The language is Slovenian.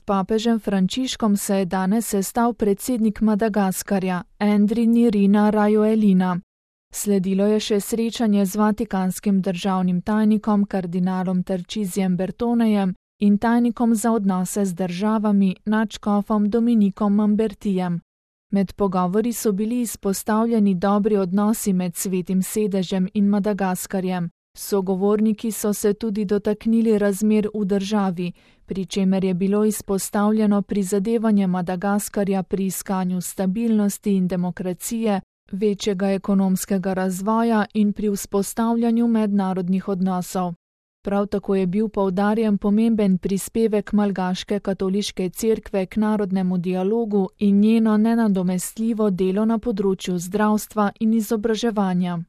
papežem Frančiškom se je danes sestal predsednik Madagaskarja, Andry Rajoelina. Sledilo je še srečanje z vatikanskim državnim tajnikom kardinalom Tarcisijem Bertonejem in tajnikom za odnose z državami nadškofom Dominikom Mambertijem. Med pogovori so bili izpostavljeni dobri odnosi med Svetim sedežem in Madagaskarjem. Sogovorniki so se tudi dotaknili razmer v državi, pri čemer je bilo izpostavljeno prizadevanje Madagaskarja pri iskanju stabilnosti in demokracije, večjega ekonomskega razvoja in pri vzpostavljanju mednarodnih odnosov. Prav tako je bil poudarjen pomemben prispevek Malgaške katoliške cerkve k narodnemu dialogu in njeno nenadomestljivo delo na področju zdravstva in izobraževanja.